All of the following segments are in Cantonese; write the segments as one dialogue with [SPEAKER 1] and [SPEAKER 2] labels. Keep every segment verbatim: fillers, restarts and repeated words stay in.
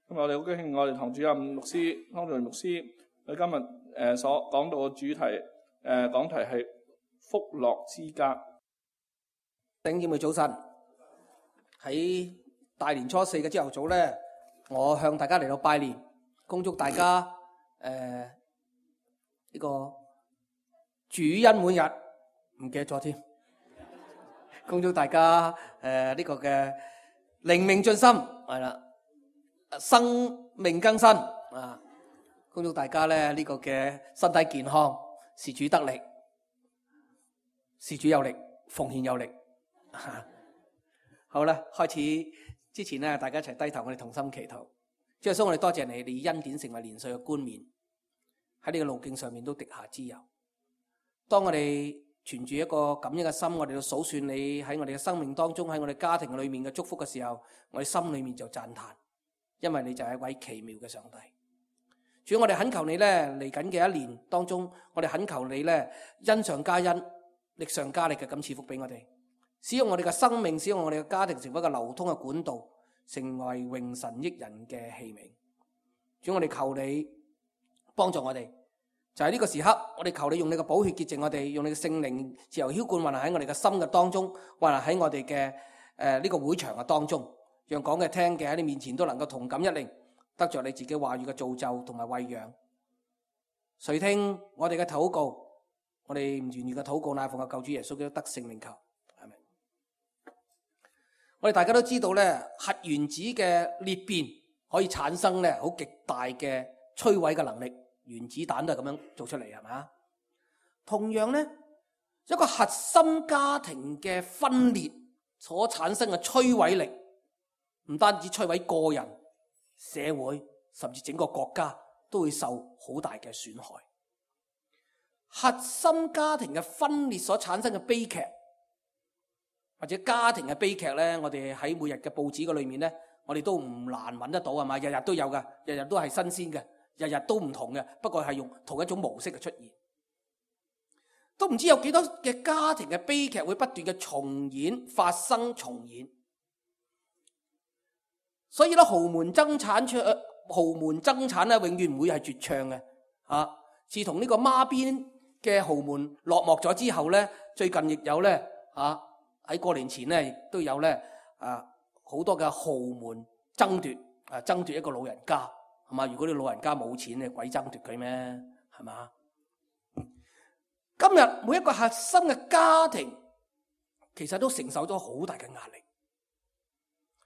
[SPEAKER 1] 咁我哋好高興，我哋堂主任牧師湯俊牧師，佢今日誒所講到嘅主題誒、呃、講題係福樂之家。
[SPEAKER 2] 弟兄姊妹早晨，喺大年初四嘅朝頭早咧，我向大家嚟到拜年，恭祝大家誒呢、呃這個主恩滿溢，唔記得咗添，恭祝大家誒呢、呃這個嘅靈命進深，係啦。生命更新啊！恭祝大家咧呢、這個嘅身體健康，事主得力，事主有力，奉獻有力。啊、好啦，開始之前咧，大家一齊低頭，我哋同心祈禱。主耶穌，我哋多謝你，你恩典成為年歲嘅冠冕，喺呢個路徑上面都滴下脂油。當我哋存住一個感恩嘅心，我哋要數算你喺我哋嘅生命當中，喺我哋家庭裏面嘅祝福嘅時候，我哋心裏面就讚嘆。因為你就係一位奇妙嘅上帝，主，我哋懇求你咧，嚟緊嘅一年當中，我哋懇求你咧，恩上加恩，力上加力嘅咁賜福俾我哋，使用我哋嘅生命，使用我哋嘅家庭成為一個流通嘅管道，成為榮神益人嘅器皿。主，我哋求你幫助我哋，就係呢個時刻，我哋求你用你嘅寶血潔淨我哋，用你嘅聖靈自由澆灌運行喺我哋嘅心嘅當中，運行喺我哋嘅誒呢個會場嘅當中。讓講嘅聽嘅喺你面前都能夠同感一靈，得着你自己話語嘅造就同埋餵養。垂聽我哋嘅禱告，我哋唔願意嘅禱告，乃奉嘅救主耶穌基督得聖名求，係咪？我哋大家都知道咧，核原子嘅裂變可以產生咧好極大嘅摧毀嘅能力，原子彈都係咁樣做出嚟，係嘛？同樣咧，一個核心家庭嘅分裂所產生嘅摧毀力，唔單止摧毀個人、社會，甚至整個國家都會受好大嘅損害。核心家庭嘅分裂所產生嘅悲劇，或者家庭嘅悲劇咧，我哋喺每日嘅報紙嘅裏面咧，我哋都唔難揾得到，係嘛？日日都有噶，日日都係新鮮嘅，日日都唔同嘅，不過係用同一種模式嘅出現。都唔知有幾多嘅家庭嘅悲劇會不斷嘅重演、發生、重演。所以咧，豪門爭產出，豪門爭產咧，永遠唔會係絕唱嘅。啊，自從呢個孖邊嘅豪門落幕咗之後咧，最近亦有咧，啊喺過年前咧，亦都有咧，啊好多嘅豪門爭奪，啊爭奪一個老人家，係嘛？如果你老人家冇錢，你鬼爭奪佢咩？係嘛？今日每一個核心嘅家庭，其實都承受咗好大嘅壓力。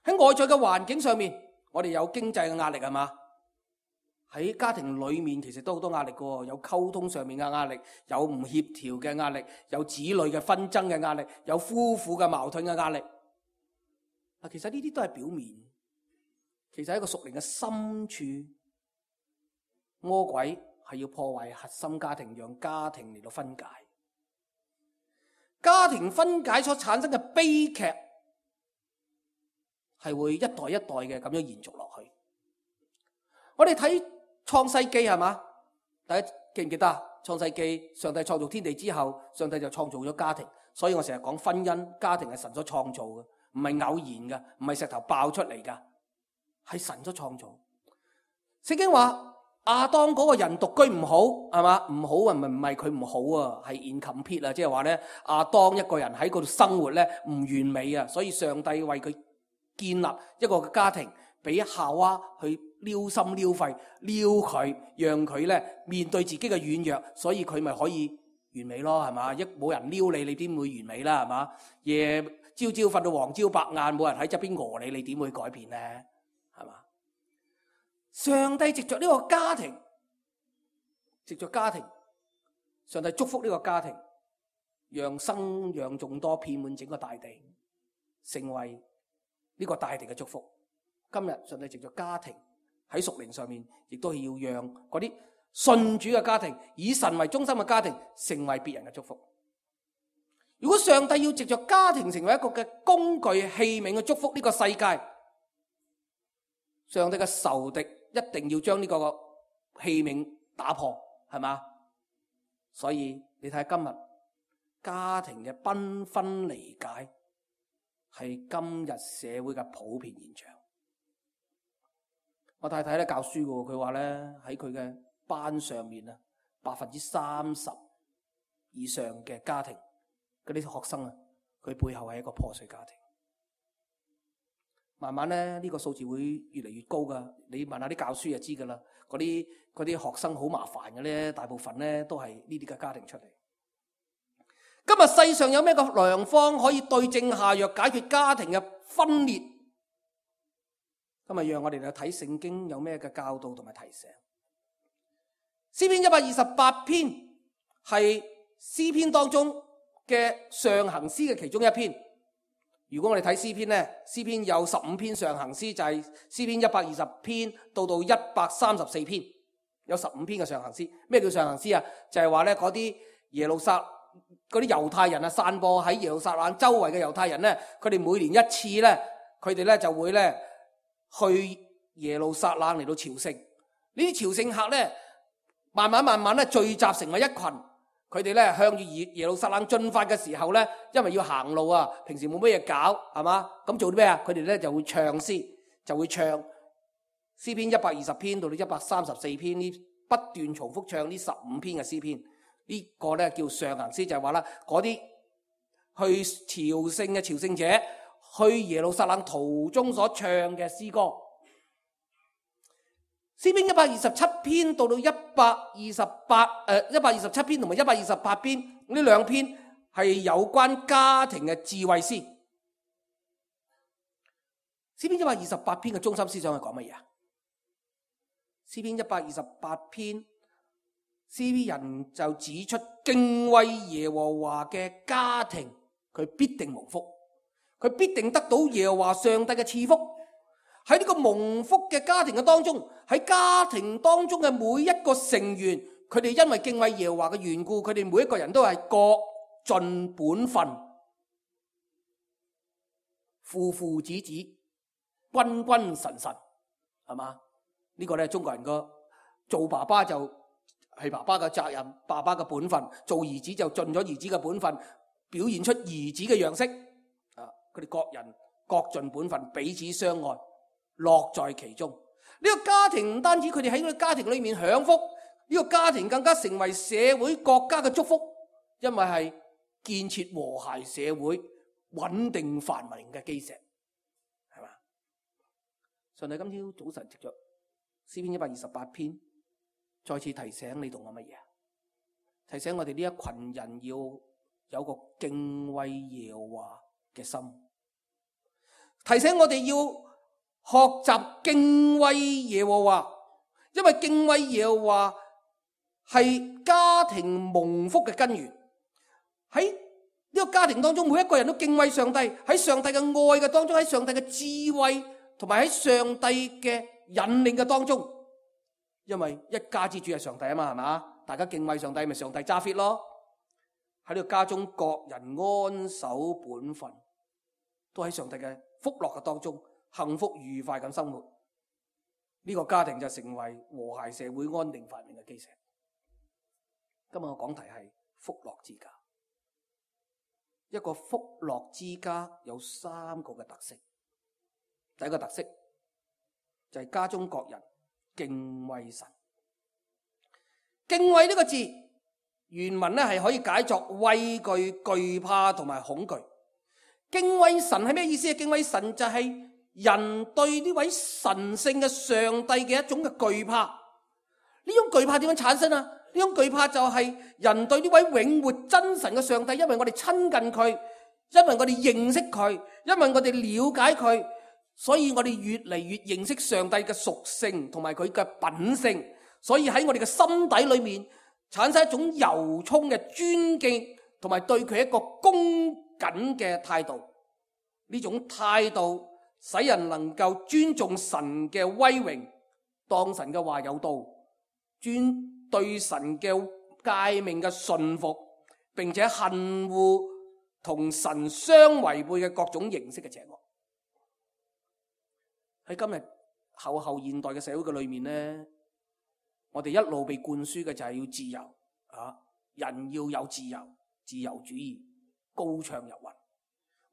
[SPEAKER 2] 喺外在嘅環境上面，我哋有經濟嘅壓力，係嘛？喺家庭裏面其實都好多壓力嘅，有溝通上面嘅壓力，有唔協調嘅壓力，有子女嘅紛爭嘅壓力，有夫婦嘅矛盾嘅壓力。嗱，其實呢啲都係表面，其實喺一個屬靈嘅深處，魔鬼係要破壞核心家庭，讓家庭嚟到分解。家庭分解所產生嘅悲劇，係會一代一代嘅咁樣延續落去。我哋睇創世記，係嘛？大家記唔記得啊？創世記，上帝創造天地之後，上帝就創造咗家庭。所以我成日講婚姻家庭係神所創造嘅，唔係偶然嘅，唔係石頭爆出嚟噶，係神所創造。聖經話亞當嗰個人獨居唔好，係嘛？唔好啊，唔係唔係佢唔好啊，係 incomplete 啊，即係話咧亞當一個人喺嗰度生活咧唔完美啊，所以上帝為佢建立一個家庭，俾夏娃去撩心撩肺撩佢，讓佢咧面對自己嘅軟弱，所以佢咪可以完美咯，係嘛？一冇人撩你，你點會完美啦？係嘛？夜朝朝瞓到黃朝白晏，冇人喺側邊餓你，你點會改變咧？係嘛？上帝藉着呢個家庭，藉着家庭，上帝祝福呢個家庭，讓生養眾多，遍滿整個大地，成為呢個大地嘅祝福。今日上帝藉着家庭喺屬靈上面，亦都係要讓嗰啲信主嘅家庭，以神為中心嘅家庭，成為別人嘅祝福。如果上帝要藉着家庭成為一個嘅工具器皿去祝福呢個世界，上帝嘅仇敵一定要將呢個器皿打破，係嘛？所以你睇下今日家庭嘅繽紛離解，係今日社會嘅普遍現象。我太太咧教書嘅，佢話咧喺佢嘅班上面啊，百分之三十以上嘅家庭嗰啲學生啊，佢背後係一個破碎家庭。慢慢咧呢個數字會越嚟越高噶，你問下啲教書就知噶啦。嗰啲嗰啲學生好麻煩嘅咧，大部分咧都係呢啲嘅家庭出嚟。今日世上有咩個良方可以對症下藥，解決家庭嘅分裂？今日讓我哋嚟睇聖經有咩嘅教導同埋提醒。詩篇一百二十八篇係詩篇當中嘅上行詩嘅其中一篇。如果我哋睇詩篇咧，詩篇有十五篇上行詩，就係詩篇一百二十篇到到一百三十四篇，有十五篇嘅上行詩。咩叫上行詩啊？就係話咧嗰啲耶路撒嗰啲猶太人啊，散播喺耶路撒冷周圍嘅猶太人咧，佢哋每年一次咧，佢哋咧就會咧去耶路撒冷嚟到朝聖。呢啲朝聖客咧，慢慢慢慢咧聚集成為一群，佢哋咧向住耶耶路撒冷進發嘅時候咧，因為要行路啊，平時冇乜嘢搞，係嘛？咁做啲咩啊？佢哋咧就會唱詩，就會唱詩篇一百二十篇到到一百三十四篇，呢不斷重複唱呢十五篇嘅詩篇。呢個咧叫上行詩，就係話啦，嗰啲去朝聖嘅朝聖者去耶路撒冷途中所唱嘅詩歌。詩篇一百二十七篇到到一百二十八誒一百二十七篇同埋一百二十八篇，呢兩篇係有關家庭嘅智慧詩。詩篇一百二十八篇嘅中心思想係講乜嘢啊？詩篇一百二十八篇，詩人就指出敬畏耶和華嘅家庭，佢必定蒙福，佢必定得到耶和華上帝嘅賜福。喺呢個蒙福嘅家庭嘅當中，喺家庭當中嘅每一個成員，佢哋因為敬畏耶和華嘅緣故，佢哋每一個人都係各盡本分，父父子子，君君臣臣，係嘛？呢個咧中國人個做爸爸就係爸爸嘅責任，爸爸嘅本分；做兒子就盡咗兒子嘅本分，表現出兒子嘅樣式。啊，佢哋各人各盡本分，彼此相愛，樂在其中。呢個家庭唔單止佢哋喺呢個家庭裏面享福，呢個家庭更加成為社會國家嘅祝福，因為係建設和諧社會、穩定繁榮嘅基石，係嘛？上帝今朝早晨藉着詩篇一百二十八篇，再次提醒你同我乜嘢？提醒我哋呢一群人要有個敬畏耶和華嘅心，提醒我哋要學習敬畏耶和華，因為敬畏耶和華係家庭蒙福嘅根源。喺呢個家庭當中，每一個人都敬畏上帝，喺上帝嘅愛嘅當中，喺上帝嘅智慧同埋喺上帝嘅引領嘅當中。因為一家之主係上帝啊嘛，係嘛？大家敬畏上帝，咪上帝揸 fit 咯。喺呢個家中，各人安守本分，都喺上帝嘅福樂嘅當中，幸福愉快咁生活。呢個家庭就成為和諧社會、安定繁榮嘅基石。今日我講題係福樂之家。一個福樂之家有三個嘅特色。第一個特色就係家中各人敬畏神。敬畏呢個字原文咧係可以解作畏懼、懼怕同埋恐懼。敬畏神係咩意思？敬畏神就係人對呢位神聖嘅上帝嘅一種嘅懼怕。呢種懼怕點樣產生啊？呢種懼怕就係人對呢位永活真神嘅上帝，因為我哋親近佢，因為我哋認識佢，因為我哋了解佢，所以我哋越嚟越認識上帝嘅屬性同埋佢嘅品性，所以喺我哋嘅心底裏面產生一種由衷嘅尊敬同埋對佢一個恭謹嘅態度。呢種態度使人能夠尊重神嘅威榮，當神嘅話有道，尊對神嘅誡命嘅順服，並且恨惡同神相違背嘅各種形式嘅邪惡。喺今日後後現代嘅社會嘅裏面呢，我哋一路被灌輸嘅就係要自由啊，人要有自由，自由主義高唱入雲，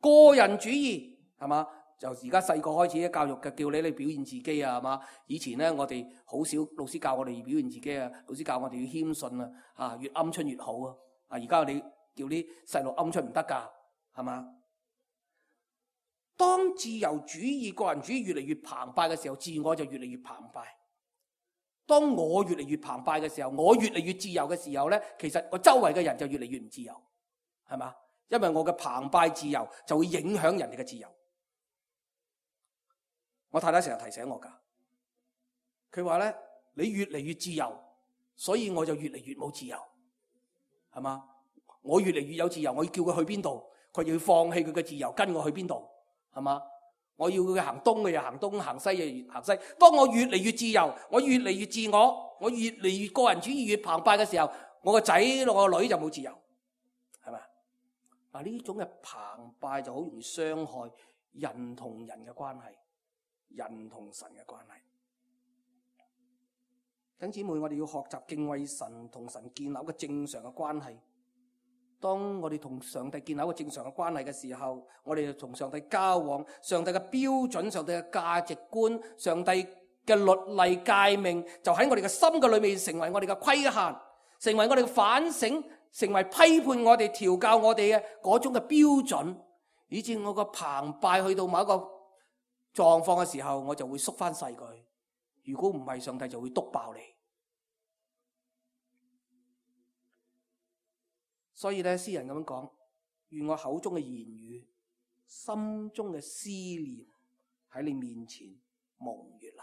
[SPEAKER 2] 個人主義係嘛，就而家細個開始嘅教育嘅叫你嚟表現自己啊，係嘛？以前咧我哋好少老師教我哋表現自己啊，老師教我哋要謙遜啊，啊越鵪鶉越好啊。啊而家你叫啲細路鵪鶉唔得㗎，係嘛？當自由主義、個人主義越嚟越澎湃嘅時候，自我就越嚟越澎湃。當我越嚟越澎湃嘅時候，我越嚟越自由嘅時候咧，其實我周圍嘅人就越嚟越唔自由，係嘛？因為我嘅澎湃自由就會影響人哋嘅自由。我太太成日提醒我㗎，佢話咧：你越嚟越自由，所以我就越嚟越冇自由，係嘛？我越嚟越有自由，我要叫佢去邊度，佢要放棄佢嘅自由，跟我去邊度。係嘛？我要佢行東嘅又行東，行西嘅又行西。當我越嚟越自由，我越嚟越自我，我越嚟越個人主義越澎湃嘅時候，我個仔我個女就冇自由，係咪？嗱，呢種嘅澎湃就好容易傷害人同人嘅關係，人同神嘅關係。弟兄姊妹，我哋要學習敬畏神，同神建立一個正常嘅關係。當我哋同上帝建立一個正常嘅關係嘅時候，我哋就同上帝交往，上帝嘅標準、上帝嘅價值觀、上帝嘅律例誡命，就喺我哋嘅心嘅裏面成為我哋嘅規限，成為我哋嘅反省，成為批判我哋、調教我哋嘅嗰種嘅標準，以致我個澎湃去到某一個狀況嘅時候，我就會縮翻細佢。如果唔係，上帝就會篤爆你。所以咧，詩人咁樣講：願我口中嘅言語、心中嘅思念喺你面前蒙悅納。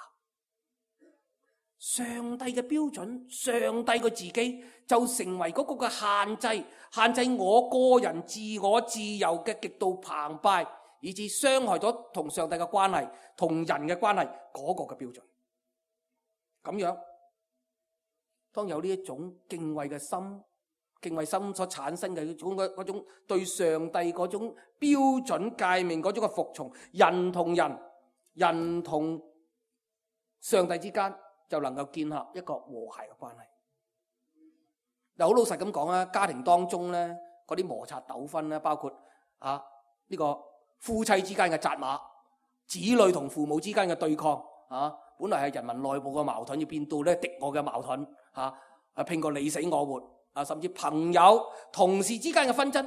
[SPEAKER 2] 上帝嘅標準，上帝嘅自己就成為嗰個嘅限制，限制我個人自我自由嘅極度澎湃，以致傷害咗同上帝嘅關係、同人嘅關係嗰個嘅標準。咁樣，當有呢一種敬畏嘅心。敬畏心所產生嘅嗰種嗰種對上帝嗰種標準誡命嗰種嘅服從，人同人、人同上帝之間就能夠建立一個和諧嘅關係。嗱，好老實咁講啦，家庭當中咧嗰啲摩擦糾紛咧，包括啊呢個夫妻之間嘅責罵，子女同父母之間嘅對抗啊，本來係人民內部嘅矛盾，要變到咧敵我嘅矛盾嚇，啊拼個你死我活。啊，甚至朋友、同事之間嘅紛爭，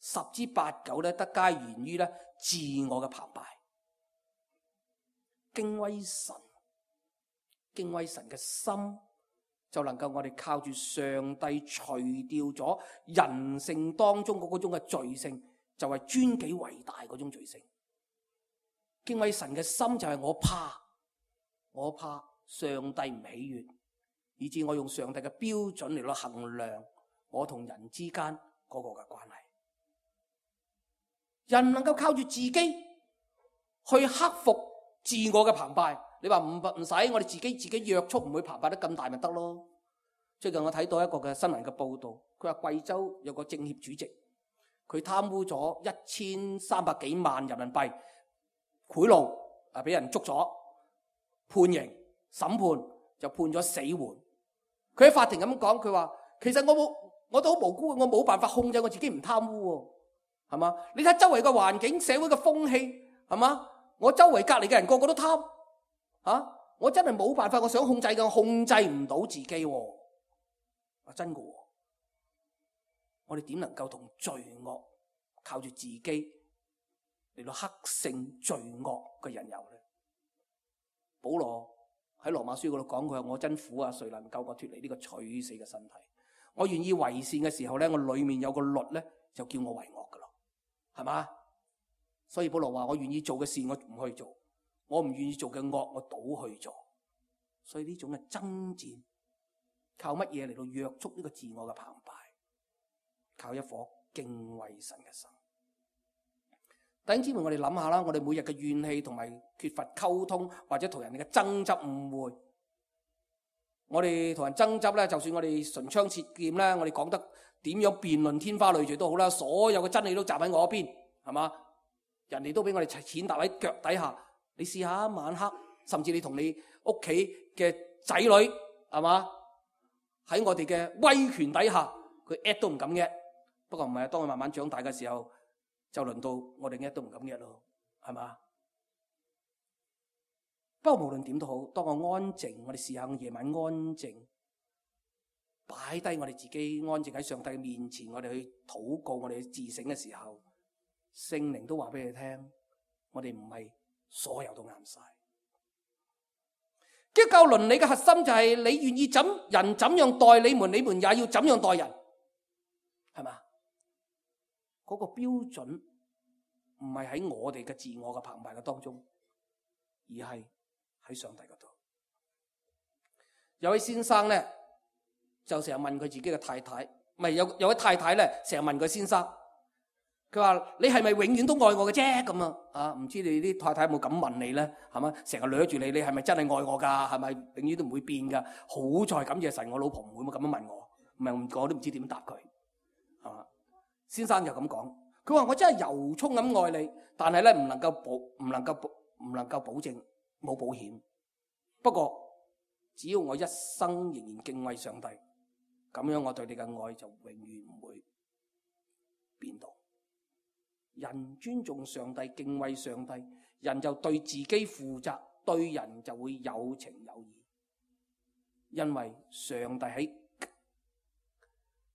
[SPEAKER 2] 十之八九咧，得皆源於咧自我嘅澎湃。敬畏神，敬畏神嘅心，就能夠我哋靠住上帝除掉咗人性當中嗰種嘅罪性，就係尊己為大嗰種罪性。敬畏神嘅心就係我怕，我怕上帝唔喜悅。以致我用上帝嘅標準嚟到衡量我同人之間嗰個嘅關係。人能夠靠住自己去克服自我嘅澎湃。你話唔唔使我哋自己自己約束，唔會澎湃得咁大咪得咯？最近我睇到一個嘅新聞嘅報道，佢話貴州有個政協主席，佢貪污咗一千三百幾萬人民幣賄賂，啊俾人捉咗，判刑審判就判咗死緩。佢喺法庭咁講，佢話其實我冇，我都好無辜，我冇辦法控制我自己唔貪污，係嘛？你睇周圍嘅環境、社會嘅風氣，係嘛？我周圍隔籬嘅人個個都貪，啊！我真係冇辦法，我想控制嘅，我控制唔到自己，啊真嘅。我哋點能夠同罪惡靠住自己嚟到克勝罪惡嘅引誘咧？保羅喺羅馬書嗰度講，佢話我真苦啊，誰能救我脫離呢個取死嘅身體？我願意為善嘅時候咧，我裏面有個律咧，就叫我為惡噶咯，係嘛？所以保羅話我願意做嘅善我唔去做，我唔願意做嘅惡我倒去做。所以呢種嘅爭戰，靠乜嘢嚟到約束呢個自我嘅澎湃？靠一顆敬畏神嘅心。弟兄姊妹，我哋諗下啦，我哋每日嘅怨氣同埋缺乏溝通，或者同人哋嘅爭執誤會，我哋同人爭執咧，就算我哋唇槍舌劍咧，我哋講得點樣辯論天花亂墜都好啦，所有嘅真理都站喺我邊，係嘛？人哋都俾我哋踐踏喺腳底下。你試下晚黑，甚至你同你屋企嘅仔女，係嘛？喺我哋嘅威權底下，佢 at 都唔敢 at。不過唔係，當佢慢慢長大嘅時候，就輪到我哋 at 都唔敢 at 咯，係嘛？不過無論點都好，當我安靜，我哋試下夜晚安靜，擺低我哋自己，安靜喺上帝面前，我哋去禱告，我哋去自省嘅時候，聖靈都話俾你聽，我哋唔係所有都啱晒。基督教倫理嘅核心就係你願意怎人怎樣待你們，你們也要怎樣待人，係嘛？嗰個標準唔係喺我哋嘅自我嘅澎湃嘅當中，而係喺上帝嗰度。有位先生咧，就成日問佢自己嘅太太，唔係有有位太太咧，成日問佢先生，佢話你係咪永遠都愛我嘅啫？咁啊，啊唔知你啲太太有冇咁問你咧？係嘛，成日掠住你，你係咪真係愛我噶？係咪永遠都唔會變噶？好在感謝神，我老婆唔會咁樣問我，唔係我都唔知點答佢，係嘛？先生就咁講，佢話我真係由衷咁愛你，但係咧唔能夠保，唔能夠保，唔能夠保證冇保險。不過只要我一生仍然敬畏上帝，咁樣我對你嘅愛就永遠唔會變動。人尊重上帝，敬畏上帝，人就對自己負責，對人就會有情有義。因為上帝喺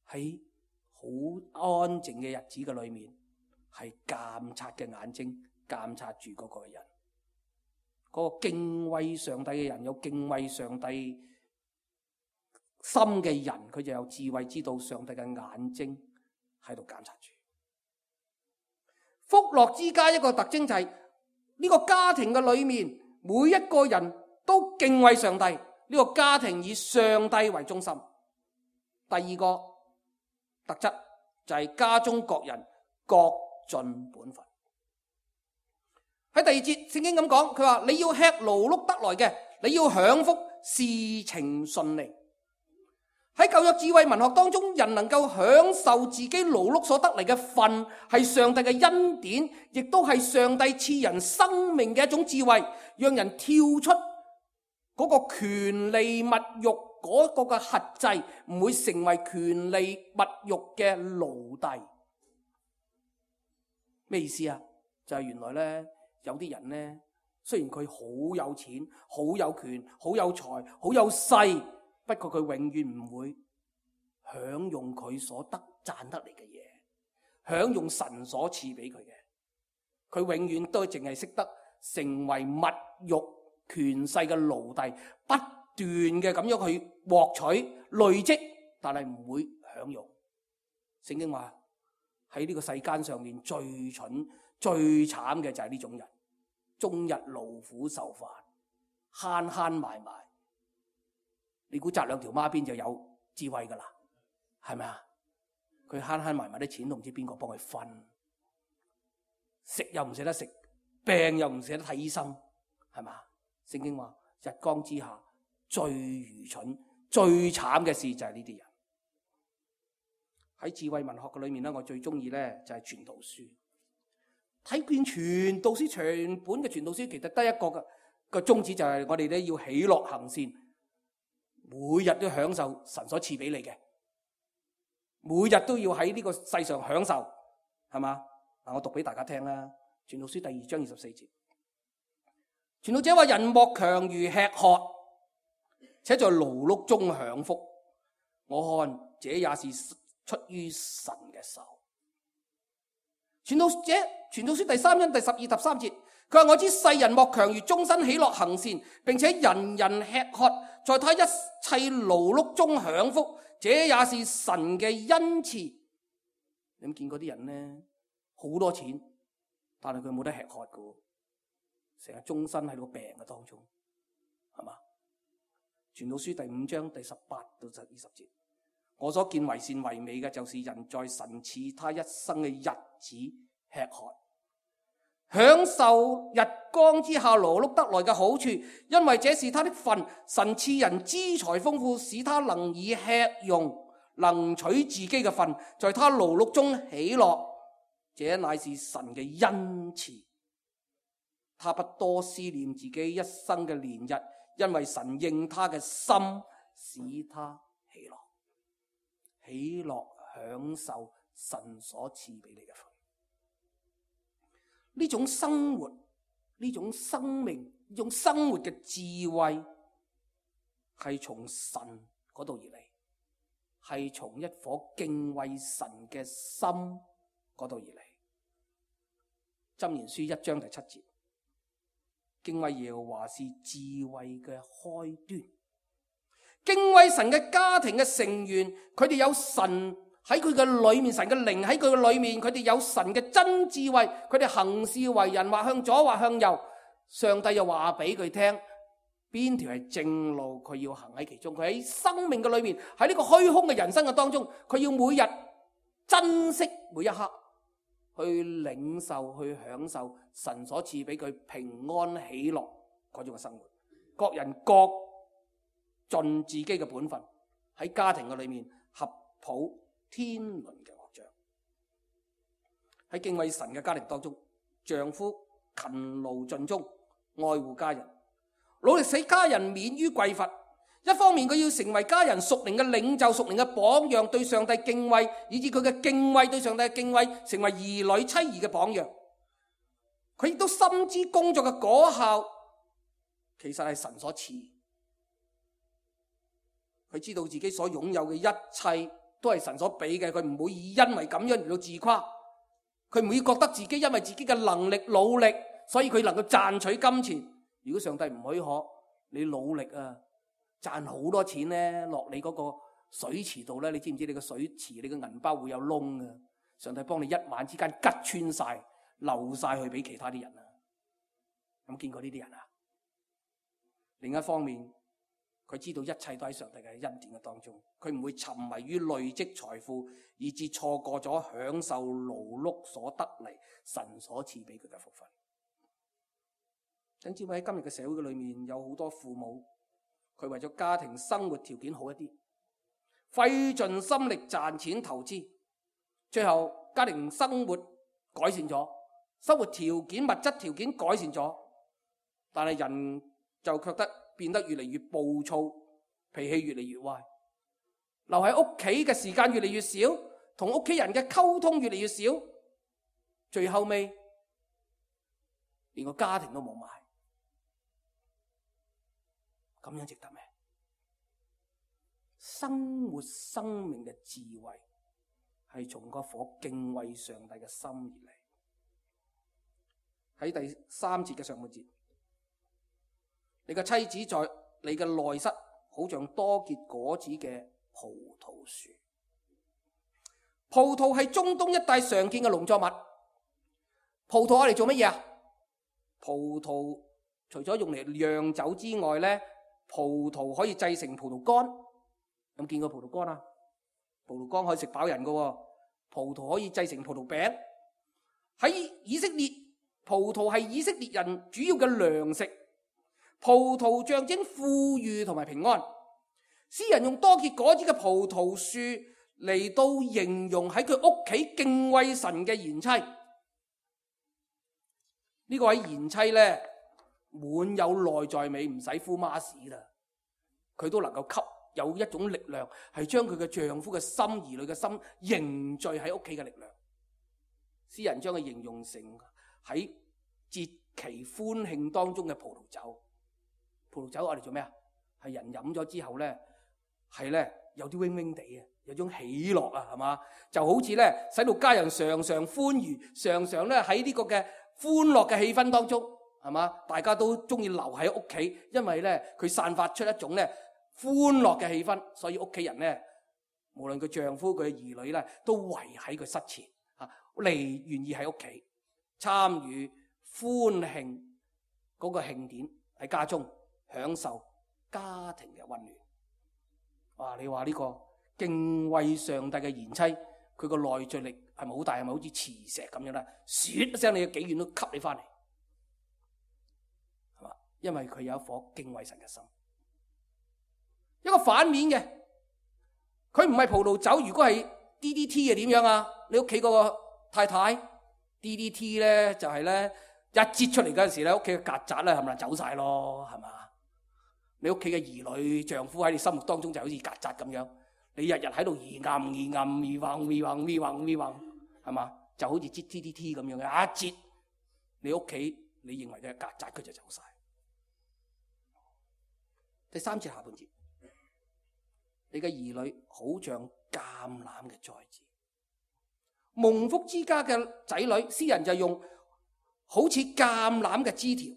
[SPEAKER 2] 喺好安靜嘅日子嘅裏面，係監察嘅眼睛監察住嗰個人。嗰個敬畏上帝嘅人，有敬畏上帝心嘅人，佢就有智慧，知道上帝嘅眼睛喺度監察住。福樂之家一個特徵就係呢個家庭嘅裏面，每一個人都敬畏上帝，呢個家庭以上帝為中心。第二個特質就係家中各人各盡本分。喺第二節聖經咁講，佢話你要吃勞碌得來嘅，你要享福，事情順利。喺舊約智慧文學當中，人能夠享受自己勞碌所得嚟嘅份，係上帝嘅恩典，亦都係上帝賜人生命嘅一種智慧，讓人跳出嗰個權利物欲嗰個嘅轄制，唔會成為權利物欲嘅奴隸。咩意思啊？就係原來咧，有啲人咧，雖然佢好有錢、好有權、好有財、好有勢，不過佢永遠唔會享用佢所得賺得嚟嘅嘢，享用神所賜俾佢嘅。佢永遠都淨係識得成為物欲權勢嘅奴隸，不斷嘅咁樣去獲取累積，但係唔會享用。聖經話喺呢個世間上面最蠢最慘嘅就係呢種人，終日勞苦受煩，慳慳埋埋。你估紮兩條孖辮就有智慧噶啦，係咪啊？佢慳慳埋埋啲錢都唔知邊個幫佢分，食又唔捨得食，病又唔捨得睇醫生，係嘛？聖經話日光之下最愚蠢最慘嘅事就係呢啲人。喺智慧文學嘅裏面咧，我最中意咧就係傳道書。睇遍傳道書，全本嘅傳道書其實得一個嘅個宗旨，就係我哋咧要喜樂行善，每日都享受神所賜俾你嘅，每日都要喺呢個世上享受，係嘛？嗱，我讀俾大家聽啦，《傳道書》第二章二十四節，傳道者話：人莫強如吃喝，且在勞碌中享福。我看這也是出於神嘅手。傳道者，傳道書第三章第十二、十三節，佢話：我知世人莫強如終身喜樂行善，並且人人吃喝，在他一切勞碌中享福，這也是神嘅恩賜。你有冇見過啲人呢？好多錢，但係佢冇得吃喝噶，成日終身喺個病嘅當中，係嘛？傳道書第五章第十八到二十節，我所見為善為美嘅，就是人在神賜他一生嘅日子吃喝，享受日光之下勞碌得來嘅好處，因為這是他的份。神賜人資財豐富，使他能以吃用，能取自己嘅份，在他勞碌中喜樂，這乃是神嘅恩賜。他不多思念自己一生嘅年日，因為神應他嘅心，使他喜樂，喜樂享受神所賜俾你嘅份。呢種生活，呢種生命用生活嘅智慧係從神嗰度而嚟，係從一顆敬畏神嘅心嗰度而嚟。箴言書一章第七節，敬畏耶和華是智慧嘅開端。敬畏神嘅家庭嘅成員，佢哋有神喺佢嘅裏面，神嘅靈喺佢嘅裏面，佢哋有神嘅真智慧，佢哋行事為人或向左或向右，上帝又話俾佢聽邊條係正路，佢要行喺其中。佢喺生命嘅裏面，喺呢個虛空嘅人生嘅當中，佢要每日珍惜每一刻，去領受去享受神所賜俾佢平安喜樂嗰種嘅生活。各人各盡自己嘅本分，喺家庭嘅裏面合抱天倫嘅樂章。喺敬畏神嘅家庭當中，丈夫勤勞盡忠，愛護家人，努力使家人免於匱乏。一方面佢要成為家人屬靈嘅領袖、屬靈嘅榜樣，對上帝敬畏，以至佢嘅敬畏對上帝嘅敬畏成為兒女妻兒嘅榜樣。佢亦都深知工作嘅果效其實係神所賜。佢知道自己所擁有嘅一切都係神所俾嘅，佢唔會以因為咁樣嚟到自誇，佢唔會覺得自己因為自己嘅能力努力，所以佢能夠賺取金錢。如果上帝唔許可，你努力啊賺好多錢咧，落你嗰個水池度咧，你知唔知你個水池你個銀包會有窿啊？上帝幫你一晚之間吉穿晒，流晒去俾其他啲人啊！有冇見過呢啲人啊？另一方面，佢知道一切都喺上帝嘅恩典嘅當中，佢唔會沉迷於累積財富，以致錯過咗享受勞碌所得嚟神所賜俾佢嘅福分。甚至喺今日嘅社會嘅裏面，有好多父母，佢為咗家庭生活條件好一啲，費盡心力賺錢投資，最後家庭生活改善咗，生活條件物質條件改善咗，但係人就覺得變得越嚟越暴躁，脾氣越嚟越壞，留喺屋企嘅時間越嚟越少，同屋企人嘅溝通越嚟越少，最後尾連個家庭都冇埋，咁樣值得咩？生活生命嘅智慧係從嗰顆敬畏上帝嘅心而嚟。喺第三節嘅上半節，你嘅妻子在你嘅內室，好像多結果子嘅葡萄樹。葡萄係中東一帶常見嘅農作物。葡萄我哋做乜嘢啊？葡萄除咗用嚟釀酒之外咧，葡萄可以製成葡萄乾。有冇見過葡萄乾啊？葡萄乾可以食飽人㗎。葡萄可以製成葡萄餅。喺以色列，葡萄係以色列人主要嘅糧食。葡萄象徵富裕同埋平安。詩人用多結果子嘅葡萄樹嚟到形容喺佢屋企敬畏神嘅賢妻。呢個位賢妻咧，滿有內在美，唔使敷孖屎啦，佢都能夠吸有一種力量，係將佢嘅丈夫嘅心、兒女嘅心凝聚喺屋企嘅力量。詩人將佢形容成喺節期歡慶當中嘅葡萄酒。葡萄酒我哋做咩啊？係人飲咗之後咧，係咧有啲 wing wing 地嘅，有種喜樂啊，係嘛？就好似咧使到家人常常歡愉，常常咧喺呢個嘅歡樂嘅氣氛當中，係嘛？大家都中意留喺屋企，因為咧佢散發出一種咧歡樂嘅氣氛，所以屋企人咧，無論佢丈夫佢嘅兒女咧，都圍喺佢室前啊，嚟願意喺屋企參與歡慶嗰個慶典，喺家中享受家庭嘅溫暖。哇！你話呢個敬畏上帝嘅賢妻，佢個內聚力係咪好大？係咪好似磁石咁樣咧？唰一聲，你嘅幾遠都吸你翻嚟，係嘛？因為佢有一顆敬畏神嘅心。一個反面嘅，佢唔係葡萄酒。如果係 D D T 係點樣啊？你屋企嗰個太太 D D T 咧，就係咧一擠出嚟嗰陣時咧，屋企嘅曱甴咧係咪走晒咯？係嘛？你屋企嘅兒女、丈夫喺你心目當中就好似曱甴咁樣，你日日喺度咿暗咿暗咿橫咿橫咿橫咿橫，係嘛？就好似擠 D D T 咁樣嘅，一擠你屋企，你認為嘅曱甴佢就走晒。第三節下半節，你嘅兒女好像橄欖嘅栽子，蒙福之家嘅仔女，詩人就用好似橄欖嘅枝條。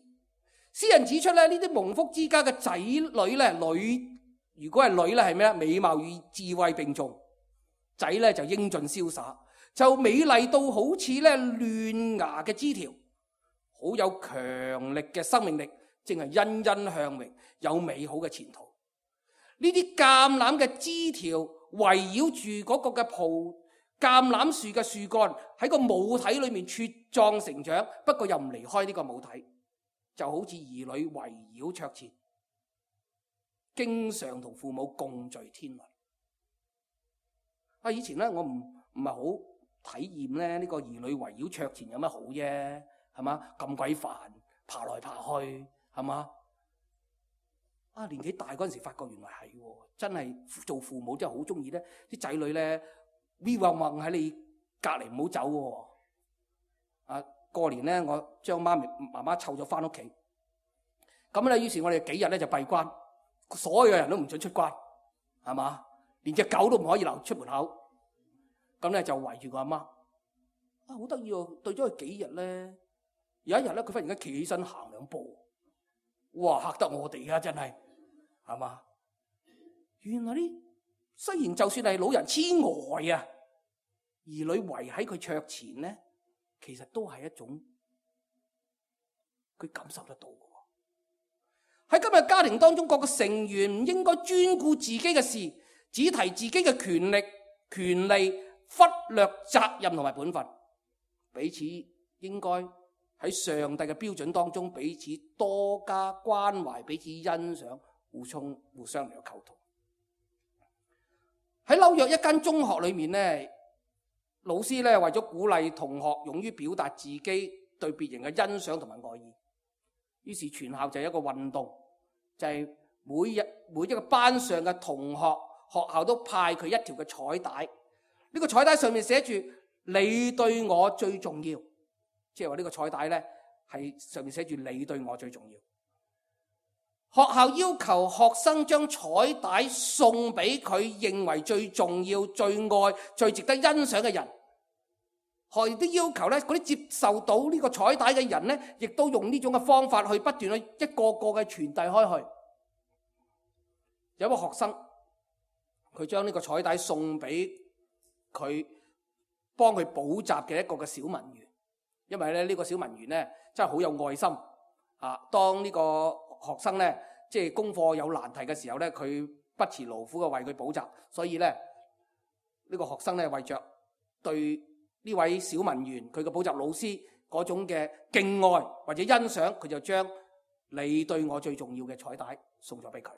[SPEAKER 2] 詩人指出咧，呢啲蒙福之家嘅仔女咧，女如果係女咧係咩咧？美貌與智慧並重，仔咧就英俊瀟灑，就美麗到好似咧嫩芽嘅枝條，好有強力嘅生命力，正係欣欣向榮，有美好嘅前途。呢啲橄欖嘅枝條圍繞住嗰個嘅葡橄欖樹嘅樹幹，喺個母體裏面茁壯成長，不過又唔離開呢個母體，就好似兒女圍繞桌前，經常同父母共聚天倫。啊，以前咧我唔唔係好體驗咧呢個兒女圍繞桌前有乜好啫，係嘛？咁鬼煩，爬來爬去，係嘛？啊，年紀大嗰陣時發覺原來係，真係做父母真係好中意咧，啲仔女咧咪混混喺你隔籬唔好走喎。啊，過年咧我將媽咪媽媽湊咗翻屋企，咁咧於是我哋幾日咧就閉關，所有人都唔准出關，係嘛？連隻狗都唔可以留出門口，咁咧就圍住個阿媽。啊，好得意喎！對咗佢幾日咧，有一日咧佢忽然間企起身行兩步。哇！嚇得我哋啊，真係，係嘛？原來呢，雖然就算係老人痴呆啊，兒女圍喺佢桌前咧，其實都係一種佢感受得到嘅。喺今日家庭當中，各個成員唔應該專顧自己嘅事，只提自己嘅權力、權利，忽略責任同埋本分，彼此應該喺上帝嘅標準當中，彼此多加關懷，彼此欣賞，互相互相嚟到溝通。喺紐約一間中學裏面咧，老師咧為咗鼓勵同學勇於表達自己對別人嘅欣賞同埋愛意，於是全校就有一個運動，就係、是、每日每一個班上嘅同學，學校都派佢一條嘅彩帶。呢、這個彩帶上面寫住你對我最重要。即係話呢個彩帶咧，係上面寫住你對我最重要。學校要求學生將彩帶送俾佢認為最重要、最愛、最值得欣賞嘅人。學校亦都要求咧，嗰啲接受到呢個彩帶嘅人咧，亦都用呢種嘅方法去不斷去一個個嘅傳遞開去。有一個學生，佢將呢個彩帶送俾佢幫佢補習嘅一個嘅小文員。因為咧呢個小文員咧真係好有愛心啊！當呢個學生咧即係功課有難題嘅時候咧，佢不辭勞苦嘅為佢補習，所以咧呢個學生咧為着對呢位小文員佢嘅補習老師嗰種嘅敬愛或者欣賞，佢就將你對我最重要嘅彩帶送咗俾佢。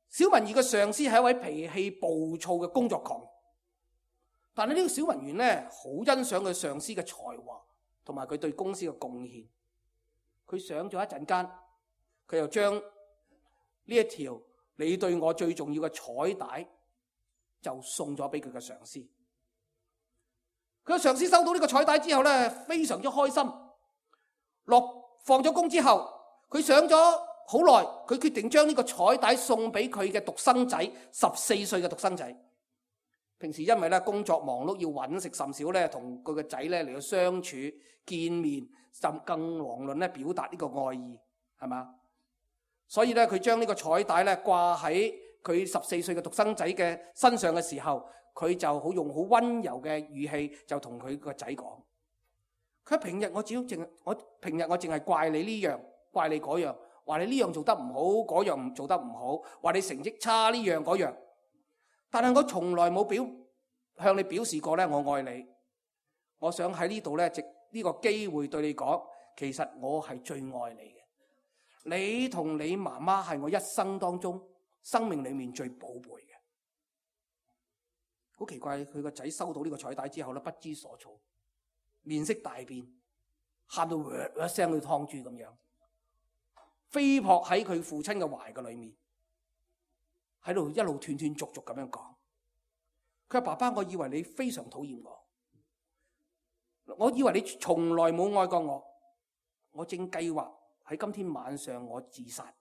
[SPEAKER 2] 小文員嘅上司係一位脾氣暴躁嘅工作狂。但係呢個小文員咧，好欣賞佢上司嘅才華同埋佢對公司嘅貢獻。佢上咗一陣間，佢又將呢一條你對我最重要嘅彩帶就送咗俾佢嘅上司。佢嘅上司收到呢個彩帶之後咧，非常之開心。落放咗工之後，佢想咗好耐，佢決定將呢個彩帶送俾佢嘅獨生仔，十四歲嘅獨生仔。平時因為咧工作忙碌要揾食甚少咧，同佢個仔咧嚟到相處見面，甚更遑論咧表達呢個愛意，係嘛？所以咧佢將呢個彩帶咧掛喺佢十四歲嘅獨生仔嘅身上嘅時候，佢就好用好溫柔嘅語氣就同佢個仔講：佢平日我只要淨我平日我淨係怪你呢樣，怪你嗰樣，話你呢樣做得唔好，嗰樣唔做得唔好，話你成績差呢樣嗰樣。但係我從來冇表向你表示過咧，我愛你。我想喺呢度咧，藉呢個機會對你講，其實我係最愛你嘅。你同你媽媽係我一生當中生命裏面最寶貝嘅。好奇怪，佢個仔收到呢個彩帶之後咧，不知所措，面色大變，喊到嘩一聲去劏豬咁樣，飛撲喺佢父親嘅懷嘅裏面。喺度一路斷斷續續咁樣講，佢話：爸爸，我以為你非常討厭我，我以為你從來冇愛過我，我正計劃喺今天晚上我自殺，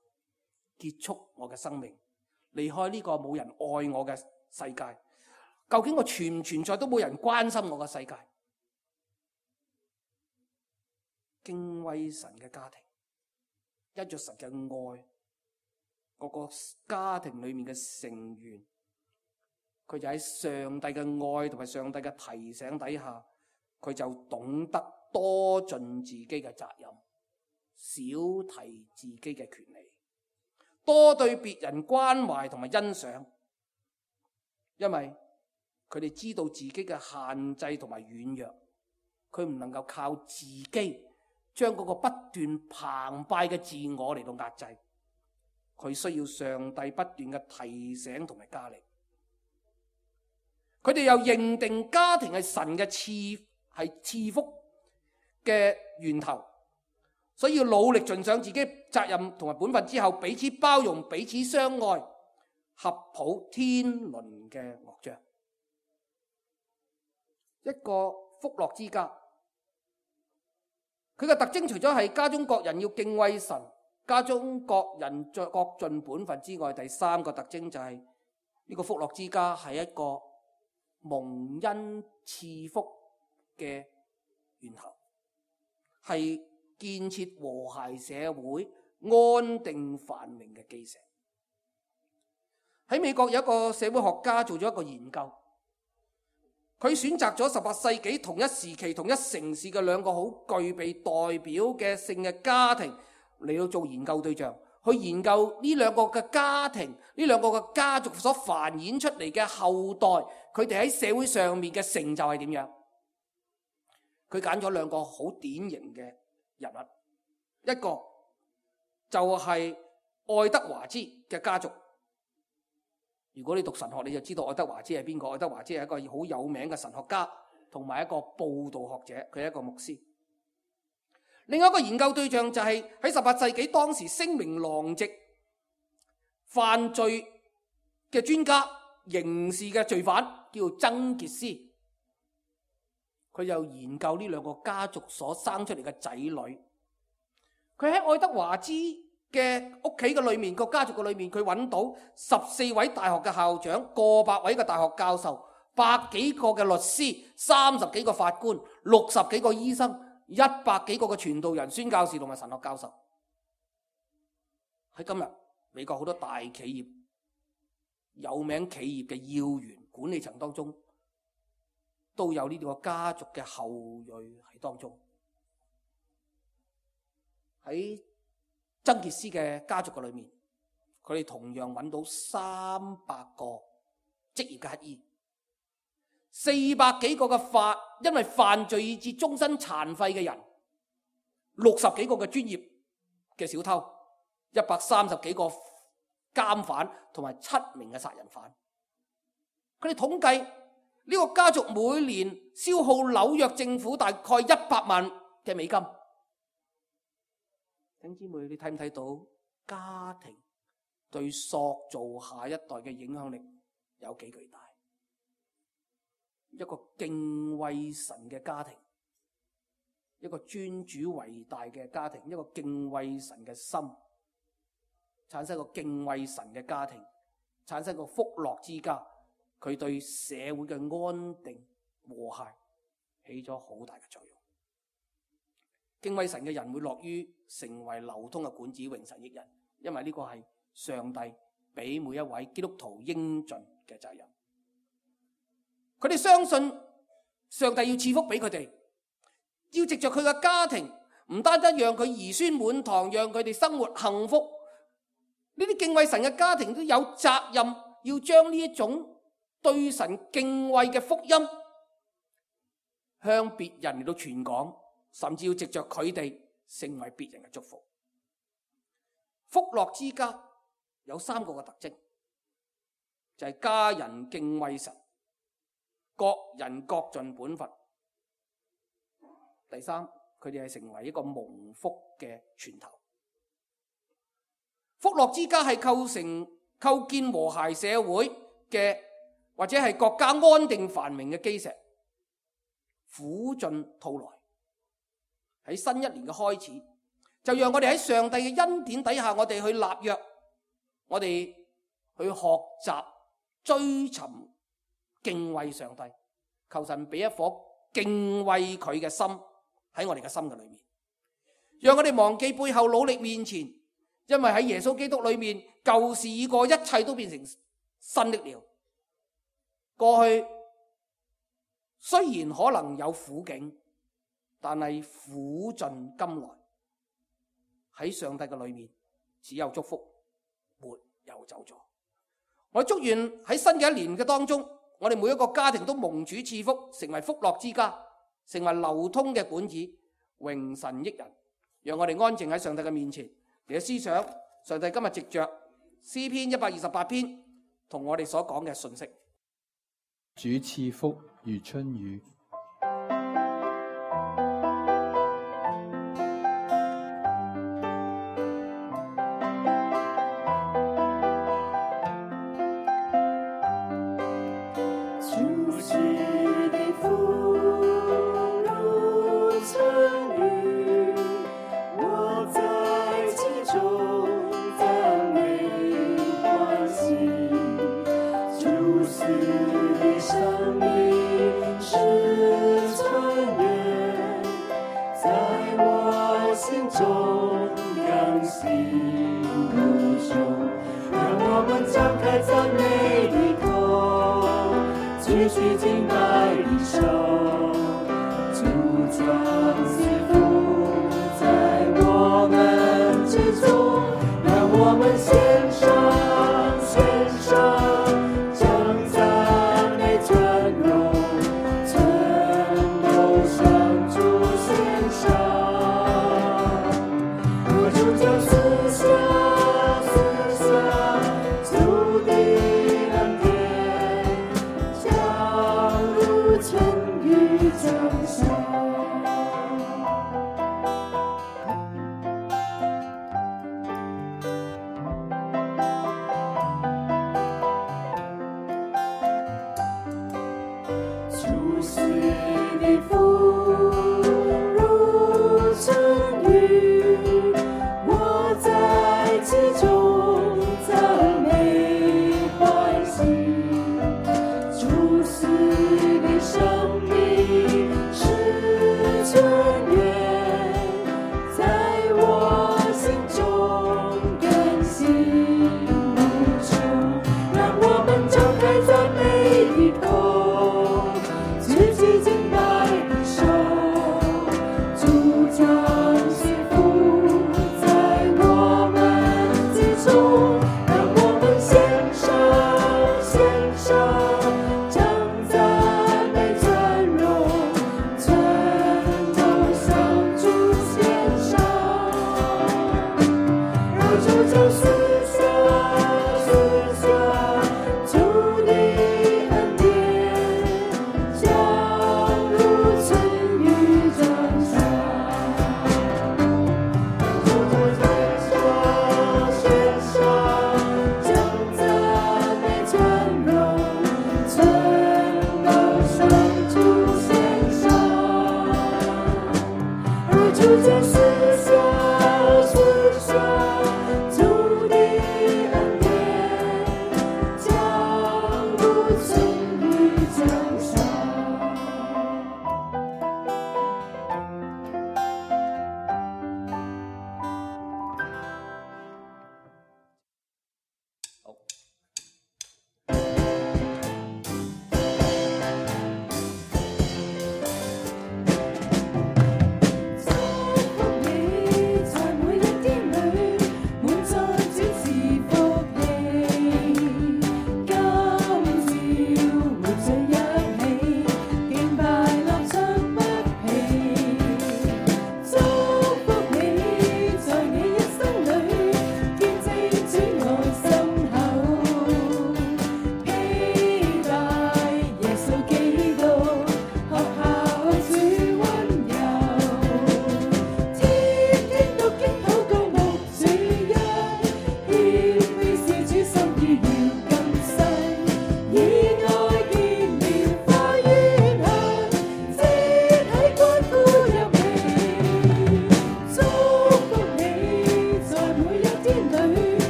[SPEAKER 2] 結束我嘅生命，離開呢個冇人愛我嘅世界。究竟我存唔存在都冇人關心我嘅世界。敬畏神嘅家庭，因着神嘅愛，嗰個家庭裏面嘅成員，佢就喺上帝嘅愛同埋上帝嘅提醒底下，佢就懂得多盡自己嘅責任，少提自己嘅權利，多對別人關懷同埋欣賞，因為佢哋知道自己嘅限制同埋軟弱，佢唔能夠靠自己將嗰個不斷澎湃嘅自我嚟到壓制，佢需要上帝不斷嘅提醒同埋加力。佢哋又認定家庭係神嘅賜係賜福嘅源頭，所以要努力盡上自己責任同埋本分之後，彼此包容，彼此相愛，合抱天倫嘅樂章。一個福樂之家，佢嘅特徵除咗係家中各人要敬畏神，家中各人各盡本分之外，第三個特徵就係呢個福樂之家係一個蒙恩賜福嘅源頭，係建設和諧社會、安定繁榮嘅基石。喺美國有一個社會學家做咗一個研究，佢選擇咗十八世紀同一時期同一城市嘅兩個好具備代表嘅性嘅家庭嚟到做研究對象，去研究呢兩個嘅家庭，呢兩個嘅家族所繁衍出嚟嘅後代，佢哋喺社會上面嘅成就係點樣？佢揀咗兩個好典型嘅人物，一個就係愛德華茲嘅家族。如果你讀神學，你就知道愛德華茲係邊個。愛德華茲係一個好有名嘅神學家，同埋一個佈道學者，佢係一個牧師。另外一個研究對象就係喺十八世紀當時聲名狼藉犯罪嘅專家，刑事嘅罪犯，叫做曾傑斯。佢又研究呢兩個家族所生出嚟嘅仔女。佢喺愛德華茲嘅屋企嘅裏面，個家族嘅裏面，佢揾到十四位大學嘅校長，過百位嘅大學教授，百幾個嘅律師，三十幾個法官，六十幾個醫生，一百幾個嘅傳道人、宣教士同埋神學教授。喺今日美國好多大企業、有名企業嘅要員、管理層當中，都有呢個家族嘅後裔喺當中。喺曾傑斯嘅家族嘅裏面，佢哋同樣揾到三百個職業嘅乞兒，四百幾個嘅犯因為犯罪以致終身殘廢嘅人，六十幾個嘅專業嘅小偷，一百三十幾個監犯，同埋七名嘅殺人犯。佢哋統計呢個家族每年消耗紐約政府大概一百萬嘅美金。弟兄姊妹，你睇唔睇到家庭對塑造下一代嘅影響力有幾巨大？一個敬畏神嘅家庭，一個尊主為大嘅家庭，一個敬畏神嘅心，產生一個敬畏神嘅家庭，產生一個福樂之家，佢對社會嘅安定和諧起咗好大嘅作用。敬畏神嘅人會樂於成為流通嘅管子，榮神益人，因為呢個係上帝俾每一位基督徒應盡嘅責任。佢哋相信上帝要賜福俾佢哋，要藉着佢嘅家庭，唔單單讓佢兒孫滿堂，讓佢哋生活幸福。呢啲敬畏神嘅家庭都有責任，要將呢一種對神敬畏嘅福音向別人嚟到傳講，甚至要藉着佢哋成為別人嘅祝福。福樂之家有三個嘅特徵，就係家人敬畏神，各人各盡本分。第三，佢哋係成為一個蒙福嘅源頭。福樂之家係構成構建和諧社會嘅，或者係國家安定繁榮嘅基石。苦盡吐來，喺新一年嘅開始，就讓我哋喺上帝嘅恩典底下，我哋去立約，我哋去學習追尋敬畏上帝，求神俾一顆敬畏佢嘅心喺我哋嘅心嘅裏面，讓我哋忘記背後，努力面前，因為喺耶穌基督裏面，舊事已過，一切都變成新的了。過去雖然可能有苦境，但係苦盡甘來，喺上帝嘅裏面只有祝福，沒有咒詛。我祝願喺新嘅一年嘅當中，我哋每一個家庭都蒙主賜福，成為福樂之家，成為流通嘅管子，榮神益人。讓我哋安靜喺上帝嘅面前，嚟到思想上帝今日藉着詩篇一百二十八篇同我哋所講嘅信息。
[SPEAKER 3] 主賜福如春雨。
[SPEAKER 4] 春雨。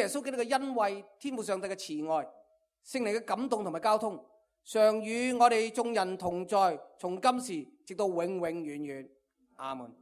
[SPEAKER 2] 耶穌基督嘅恩惠、天父上帝嘅慈愛、聖靈嘅感動同埋交通，常與我哋眾人同在，從今時直到永永遠遠。阿門。